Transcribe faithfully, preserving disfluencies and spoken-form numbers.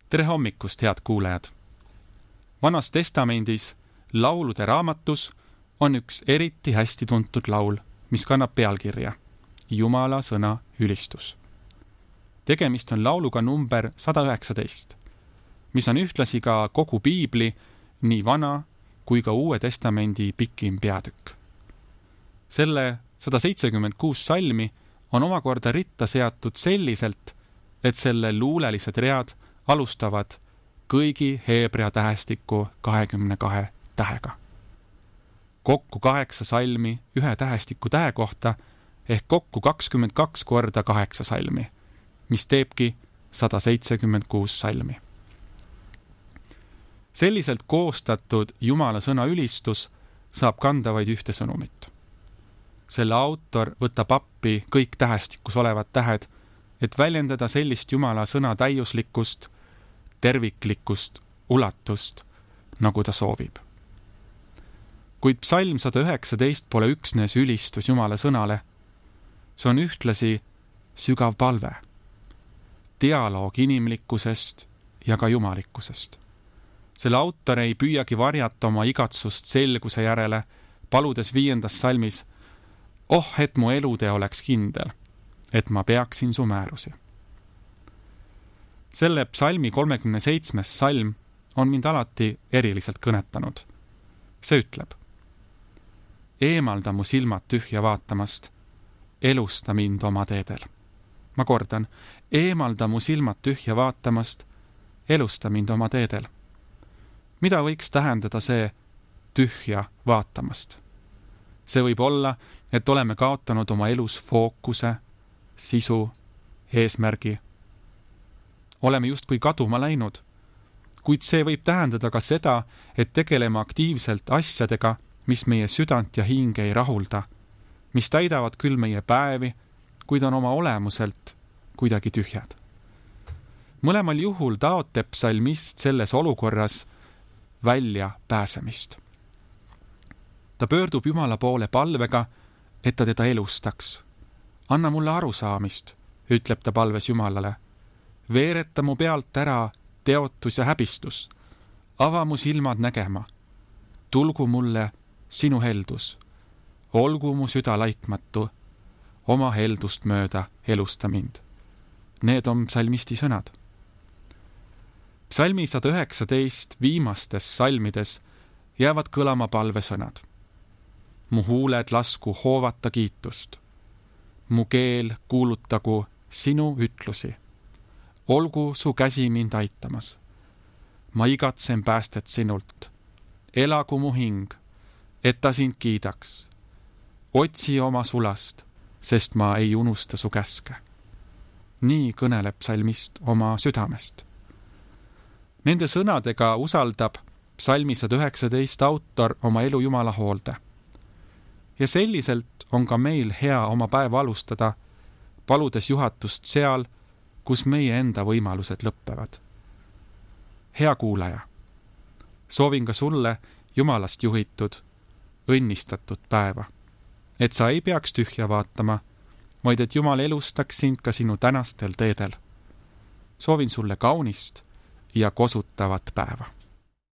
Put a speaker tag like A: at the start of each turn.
A: tere hommikust, head kuulajad! Vanas testamendis laulude raamatus on üks eriti hästi tuntud laul, mis kannab pealkirja Jumala sõna ülistus. Tegemist on lauluga number sada üheksateist, mis on ühtlasi ka kogu piibli, nii vana kui ka uue testamendi pikim peatükk. Selle sada seitsekümmend kuus salmi on omakorda ritta seatud selliselt, et selle luulelised read alustavad kõigi heebrea tähestiku kahekümne kahe tähega. Kokku kaheksa salmi ühe tähestiku tähe kohta ehk kokku kakskümmend kaks korda kaheksa salmi, mis teebki sada seitsekümmend kuus salmi. Selliselt koostatud Jumala sõna ülistus saab kanda vaid ühte sõnumit. Selle autor võtab appi kõik tähestikus olevad tähed, et väljendada sellist Jumala sõna täiuslikkust, terviklikkust, ulatust, nagu ta soovib. Kuid psalm sada üheksateist pole üksnes ülistus Jumala sõnale, see on ühtlasi sügav palve, dialoog inimlikkusest ja ka jumalikkusest. Selle autor ei püüagi varjata oma igatsust selguse järele, paludes viiendas salmis, oh, et mu elutee oleks kindel, et ma peaksin su määrusi. Selle psalmi kolmekümne seitsmes salm on mind alati eriliselt kõnetanud. See ütleb, eemalda mu silmad tühja vaatamast, elusta mind oma teedel. Ma kordan, eemalda mu silmad tühja vaatamast, elusta mind oma teedel. Mida võiks tähendada see tühja vaatamast? See võib olla, et oleme kaotanud oma elus fookuse, sisu, eesmärgi. Oleme justkui kaduma läinud, kuid see võib tähendada ka seda, et tegeleme aktiivselt asjadega, mis meie südant ja hinge ei rahulda, mis täidavad küll meie päevi, kuid on oma olemuselt kuidagi tühjad. Mõlemal juhul taotleb psalmist selles olukorras välja pääsemist. Ta pöördub Jumala poole palvega, et ta teda elustaks. Anna mulle arusaamist, ütleb ta palves Jumalale. Veereta mu pealt ära teotus ja häbistus. Ava mu silmad nägema. Tulgu mulle sinu heldus. Olgu mu süda laitmatu. Oma heldust mööda elusta mind. Need on psalmisti sõnad. Psalmi sada üheksateist viimastes salmides jäävad kõlama palvesõnad. Mu huuled lasku hoovata kiitust. Mu keel kuulutagu sinu ütlusi. Olgu su käsi mind aitamas. Ma igatsen päästet sinult. Elagu mu hing, et ta sind kiidaks. Otsi oma sulast, sest ma ei unusta su käske. Nii kõneleb psalmist oma südamest. Nende sõnadega usaldab psalmi sada üheksateist autor oma elu Jumala hoolde. Ja selliselt on ka meil hea oma päeva alustada, paludes juhatust seal, kus meie enda võimalused lõppevad. Hea kuulaja, soovin ka sulle Jumalast juhitud, õnnistatud päeva, et sa ei peaks tühja vaatama, vaid et Jumal elustaks sind ka sinu tänastel teedel. Soovin sulle kaunist ja kosutavat päeva.